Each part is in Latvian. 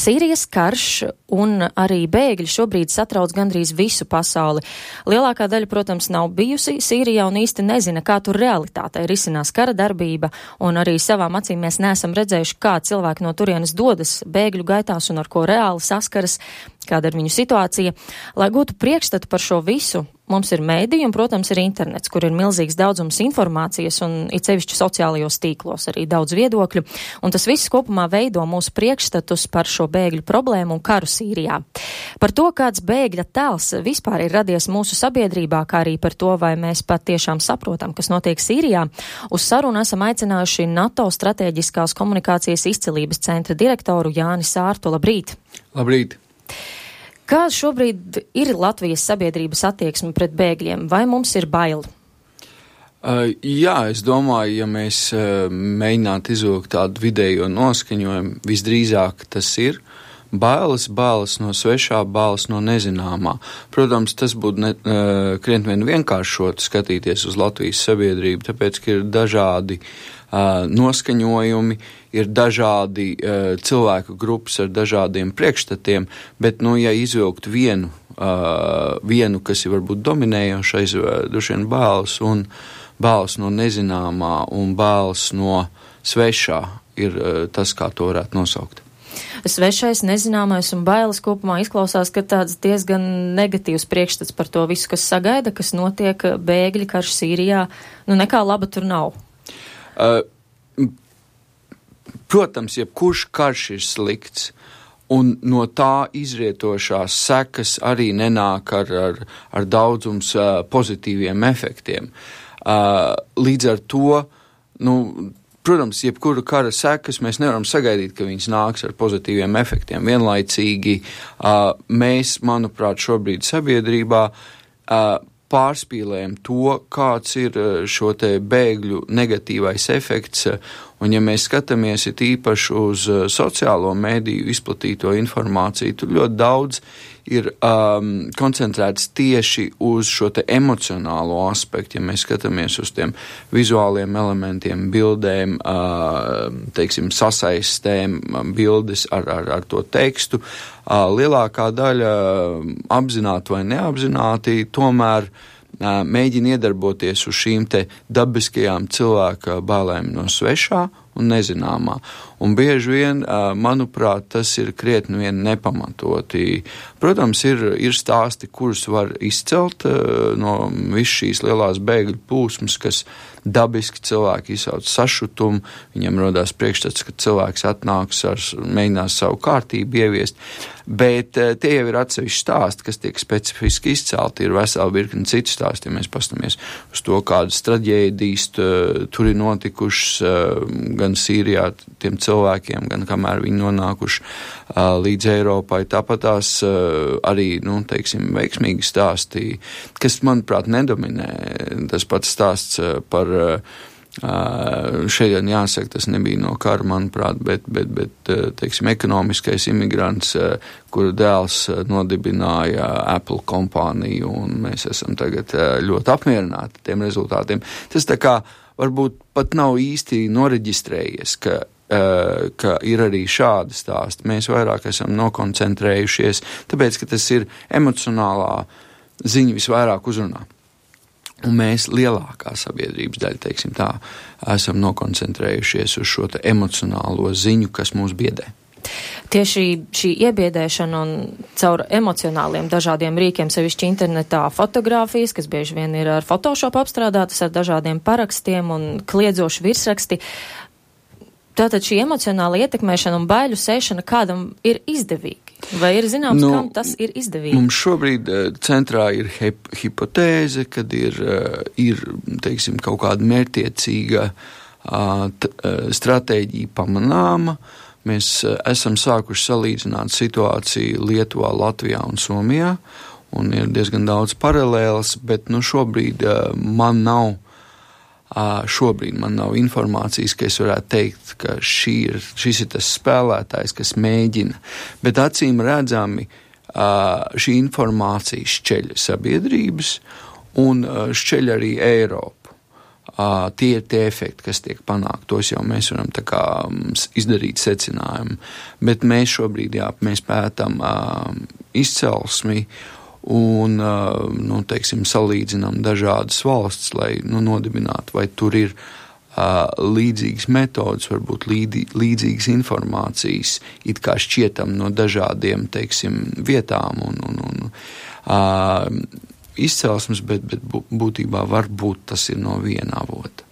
Sīrijas karš un arī bēgļi šobrīd satrauc gandrīz visu pasauli. Lielākā daļa, protams, nav bijusi Sīrijā un īsti nezina, kā tur realitātei risinās kara darbība, un arī savām acīm mēs neesam redzējuši, kā cilvēki no turienes dodas bēgļu gaitās un ar ko reāli saskaras, kāda ir viņu situācija. Lai gūtu priekšstatu par šo visu, mums ir mēdī un, protams, ir internets, kur ir milzīgs daudzums informācijas un it sevišķi sociālajos tīklos arī daudz viedokļu, un tas viss kopumā veido mūsu priekšstatus par šo bēgļu problēmu un karu Sīrijā. Par to, kāds bēgļa tēls vispār ir radies mūsu sabiedrībā, kā arī par to, vai mēs pat tiešām saprotam, kas notiek Sīrijā, uz sarunu esam aicinājuši NATO strateģiskās komunikācijas izcilības centra direktoru Jāni Sārtu. Labrīt! Labrīt! Kā šobrīd ir Latvijas sabiedrības attieksme pret bēgļiem? Vai mums ir bail? Jā, es domāju, ja mēs mēģinātu izvilkt tādu vidējo noskaņojumu, visdrīzāk tas ir bailes no svešā, bailes no nezināmā. Protams, tas būtu krietni vien vienkāršot skatīties uz Latvijas sabiedrību, tāpēc, ka ir dažādi noskaņojumi, ir dažādi cilvēku grupas ar dažādiem priekšstatiem, bet, ja izvilkt vienu, kas ir varbūt dominējošais, droši vien bailes no nezināmā un bailes no svešā ir tas, kā to varētu nosaukt. Svešais, nezināmais un bailes kopumā izklausās, ka tāds diezgan negatīvs priekšstats par to visu, kas sagaida, kas notiek bēgļi karš Sīrijā. Nekā laba tur nav. Protams, jebkurš karš ir slikts, un no tā izrietošās sekas arī nenāk ar daudzums pozitīviem efektiem. Līdz ar to, protams, jebkura kara sekas mēs nevaram sagaidīt, ka viņas nāks ar pozitīviem efektiem. Vienlaicīgi mēs, manuprāt, šobrīd sabiedrībā pārspīlējam to, kāds ir šo te bēgļu negatīvais efekts, un ja mēs skatāmies it īpaši uz sociālo mēdīju izplatīto informāciju, tur ļoti daudz ir koncentrēts tieši uz šo te emocionālo aspektu, ja mēs skatāmies uz tiem vizuāliem elementiem, bildēm, sasaistēm, bildes ar to tekstu. Lielākā daļa apzināti vai neapzināti tomēr mēģina iedarboties uz šīm te dabiskajām cilvēka bailēm no svešā un nezināmā. Un bieži vien, manuprāt, tas ir krietni vien nepamatoti. Protams, ir stāsti, kurus var izcelt no visu šīs lielās bēgļu plūsmas, kas dabiski cilvēki izsauc sašutumu, viņiem rodās priekšstats, ka cilvēks atnāks mēģinās savu kārtību ieviest, bet tie jau ir atsevišķi stāsti, kas tiek specifiski izcelti, ir vesela virkni citu stāsti, ja mēs pastamies uz to, kādas traģēdijas tur ir notikušas gan Sīrijā tiem cilvēkiem, gan kamēr viņi nonākuši līdz Eiropai. Tāpat tās arī, veiksmīgi stāsti, kas, manuprāt, nedominē. Tas pats stāsts par šeit jāsaka, tas nebija no kara, manuprāt, bet ekonomiskais imigrants, kura dēls nodibināja Apple kompāniju, un mēs esam tagad ļoti apmierināti tiem rezultātiem. Tas tā kā varbūt pat nav īsti noreģistrējies, ka ir arī šādi stāsti. Mēs vairāk esam nokoncentrējušies, tāpēc, ka tas ir emocionālā ziņa visvairāk uzrunā. Un mēs lielākā sabiedrības daļa, esam nokoncentrējušies uz šo emocionālo ziņu, kas mūs biedē. Tieši šī iebiedēšana un caur emocionāliem dažādiem rīkiem, sevišķi internetā fotogrāfijas, kas bieži vien ir ar Photoshop apstrādātas, ar dažādiem parakstiem un kliedzoši virsraksti. Tātad šī emocionāla ietekmēšana un baiļu sēšana kādam ir izdevīgi? Vai ir zināms, kam tas ir izdevīgi? Mums šobrīd centrā ir hipotēze, kad ir kaut kāda mērķtiecīga stratēģija pamanāma. Mēs esam sākuši salīdzināt situāciju Lietuvā, Latvijā un Somijā, un ir diezgan daudz paralēlas, bet šobrīd man nav informācijas, ka es varētu teikt, ka šis ir tas spēlētājs, kas mēģina. Bet acīm redzami šī informācija šķeļ sabiedrības un šķeļ arī Eiropu. tie ir tie efekti, kas tiek panākt. Tos jau mēs varam tā kā izdarīt secinājumu. Bet mēs šobrīd, mēs pētam izcelsmi un, teiksim, salīdzinām dažādas valsts, lai, nodibinātu, vai tur ir līdzīgas metodas, varbūt līdzīgas informācijas, it kā šķietam no dažādiem, teiksim, vietām un izcelsmes, bet būtībā varbūt tas ir no viena avota.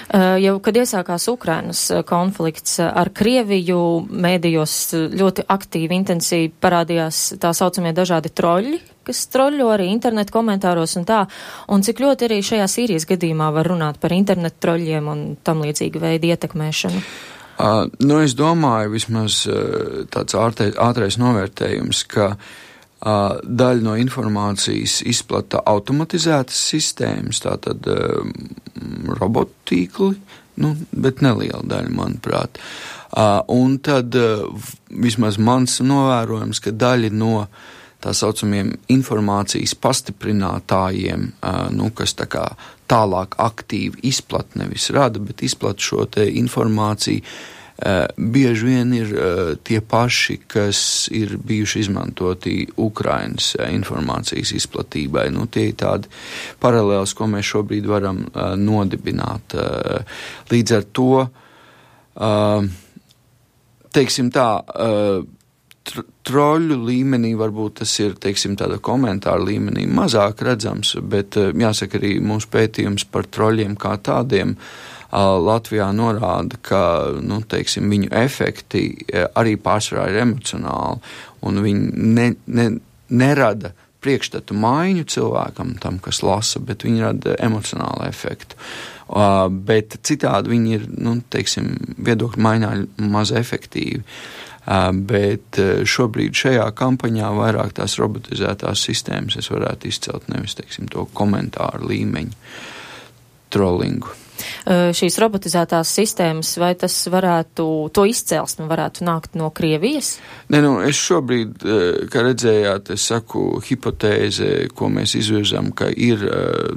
Jau, kad iesākās Ukrainas konflikts ar Krieviju, mēdījos ļoti aktīvi, intensīvi parādījās tā saucamie dažādi troļļi, kas troļļo arī internetu komentāros un tā, un cik ļoti arī šajā Sīrijas gadījumā var runāt par internetu troļļiem un tam līdzīgu veidu ietekmēšanu? Es domāju, vismaz tāds ātrais novērtējums, ka daļa no informācijas izplata automatizētas sistēmas, tātad robotīkli, bet neliela daļa, manuprāt. Un tad vismaz mans novērojums, ka daļa no tā saucamiem informācijas pastiprinātājiem, kas tā kā tālāk aktīvi izplat, nevis rada, bet izplat šo te informāciju, bieži vien ir tie paši, kas ir bijuši izmantoti Ukrainas informācijas izplatībai. Tie ir tādi paralēls, ko mēs šobrīd varam nodibināt. Līdz ar to, teiksim tā, troļu līmenī varbūt tas ir, teiksim, tāda komentāra līmenī mazāk redzams, bet jāsaka arī mūsu pētījums par troļiem kā tādiem Latvijā norāda, ka, viņu efekti arī pārsvarā ir emocionāli, un viņi nerada priekšstatu maiņu cilvēkam, tam, kas lasa, bet viņi rada emocionālu efektu. Bet citādi viņi ir, viedokļu maiņā maz efektīvi. Bet šobrīd šajā kampaņā vairāk tās robotizētās sistēmas es varētu izcelt, nevis, to komentāru līmeņu trollingu. Šīs robotizētās sistēmas, vai tas varētu, to izcelsme varētu nākt no Krievijas? Es šobrīd, kā redzējāt, es saku hipotēze, ko mēs izvirzam, ka ir,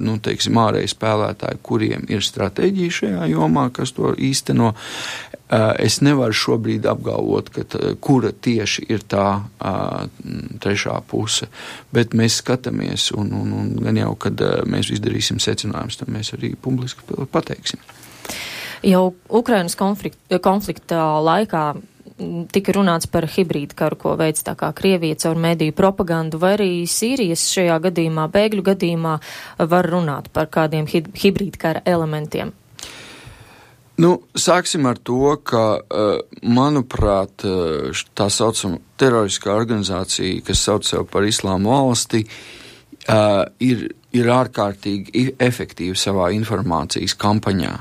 ārēji spēlētāji, kuriem ir stratēģija šajā jomā, kas to īsteno. Es nevaru šobrīd apgalvot, kura tieši ir tā trešā puse, bet mēs skatāmies un gan jau, kad mēs izdarīsim secinājumus, tad mēs arī publiski pateiksim. Jau Ukrainas konflikta laikā tika runāts par hibrīdu karu, ko veic tā kā Krievija caur mediju propagandu, vai arī Sīrijas šajā gadījumā, bēgļu gadījumā var runāt par kādiem hibrīdu kara elementiem? Sāksim ar to, ka, manuprāt, tā saucama teroriskā organizācija, kas sauc sev par Islāma valsti, ir ārkārtīgi efektīva savā informācijas kampaņā.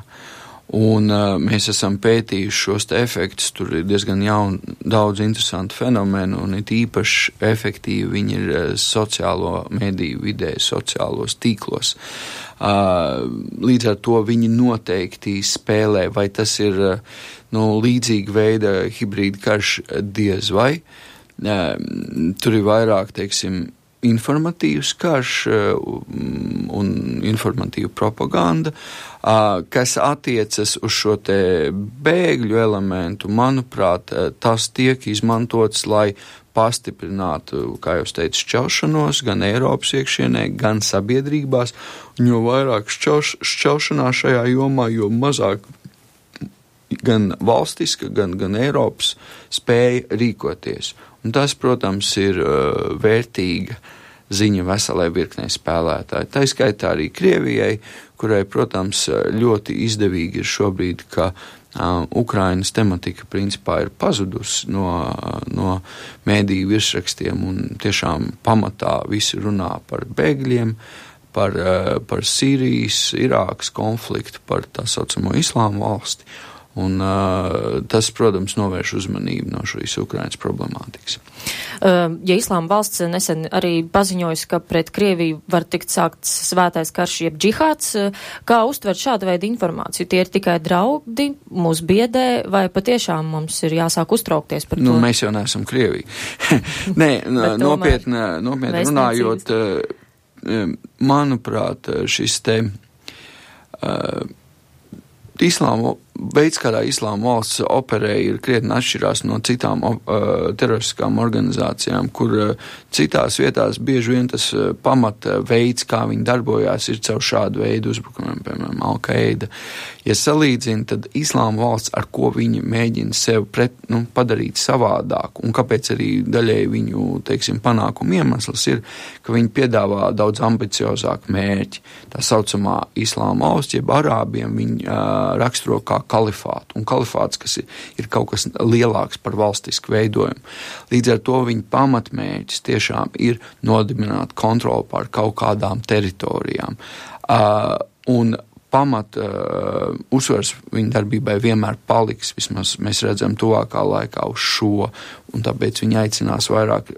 Un mēs esam pētījuši šos te efektus, tur ir diezgan daudz interesantu fenomenu, un it īpaši efektīvi viņi ir sociālo mediju vidē, sociālos tīklos. Līdz ar to viņi noteikti spēlē, vai tas ir līdzīga veida hibrīda karš, diez vai. Tur ir vairāk, informatīvs karš un informatīva propaganda, kas attiecas uz šo te bēgļu elementu. Manuprāt, tas tiek izmantots, lai pastiprinātu, kā jau teicu, šķelšanos gan Eiropas iekšienē, gan sabiedrībās, un jo vairāk šķelšanās šajā jomā, jo mazāk gan valstiska, gan Eiropas spēja rīkoties. Un tas, protams, ir vērtīga ziņa veselai virknei spēlētāji. Tā skaitā arī Krievijai, kurai, protams, ļoti izdevīgi ir šobrīd, ka Ukrainas tematika principā ir pazudusi no mēdīju virsrakstiem, un tiešām pamatā visi runā par bēgļiem, par Sīrijas, Irākas konfliktu, par tā saucamo Islāma valsti. Un tas, protams, novērš uzmanību no šīs Ukrainas problemātikas. Ja Islāma valsts nesen arī paziņojusi, ka pret Krieviju var tikt sākts svētais karš jeb džihāds, kā uztvert šādu veidu informāciju? Tie ir tikai draudi, mūs biedē, vai patiešām mums ir jāsāk uztraukties par to? Mēs jau neesam Krievija. Nē, nopietni runājot, manuprāt, šis te Islāma veids, kādā Islāma valsts operē, ir krietni atšķirās no citām teroristiskām organizācijām, kur citās vietās bieži vien tas pamata veids, kā viņi darbojās, ir caur šādu veidu uzbrukumiem, piemēram, Al-Qaida. Ja salīdzina, tad Islāma valsts, ar ko viņi mēģina sev padarīt savādāk, un kāpēc arī daļēji viņu, panākumu iemesls ir, ka viņi piedāvā daudz ambiciozāku mērķi. Tā saucamā Islāma valsts, jeb arābiem, viņi raksturo kā kalifātu, un kalifāts, kas ir kaut kas lielāks par valstisku veidojumu. Līdz ar to viņa pamatmērķis tiešām ir nodibināt kontroli pār kaut kādām teritorijām. Un uzsvars viņa darbībai vienmēr paliks, vismaz mēs redzam tuvākā laikā uz šo, un tāpēc viņi aicinās vairāk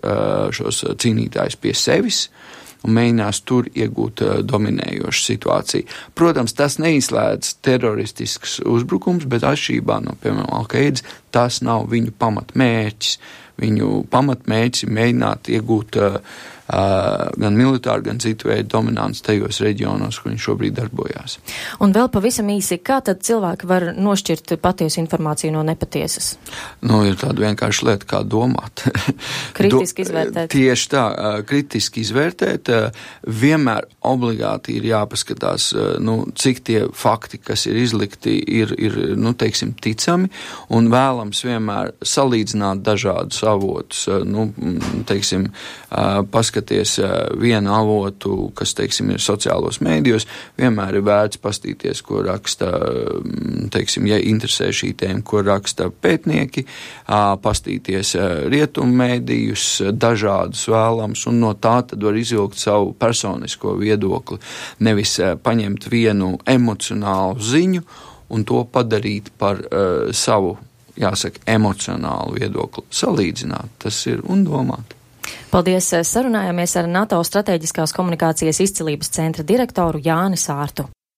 šos cīnītājus pie sevis, un mēģinās tur iegūt dominējošu situāciju. Protams, tas neizslēdz teroristisks uzbrukums, bet atšķirībā no, piemēram, Al-Qaidas, tas nav viņu pamatmērķis. Viņu pamatmērķis ir mēģināt iegūt gan militāru, gan citu veidu dominants tajos reģionos, kur viņi šobrīd darbojās. Un vēl pavisam īsi, kā tad cilvēki var nošķirt patiesu informāciju no nepatiesas? Ir tāda vienkārša lieta, kā domāt. Kritiski izvērtēt. Tieši tā, kritiski izvērtēt. Vienmēr obligāti ir jāpaskatās, cik tie fakti, kas ir izlikti, ir ticami, un vēlams vienmēr salīdzināt dažādus avotus, paskaties vienu avotu, kas, ir sociālos mēdījos, vienmēr ir vērts pastīties, ko raksta, ja interesē šī tēma, ko raksta pētnieki, pastīties rietumu mēdījus, dažādus vēlams, un no tā tad var izvilkt savu personisko viedokli, nevis paņemt vienu emocionālu ziņu un to padarīt par savu, emocionālu viedokli. Salīdzināt, tas ir un domāt. Paldies! Sarunājāmies ar NATO Stratēģiskās komunikācijas izcilības centra direktoru Jāni Sārtu.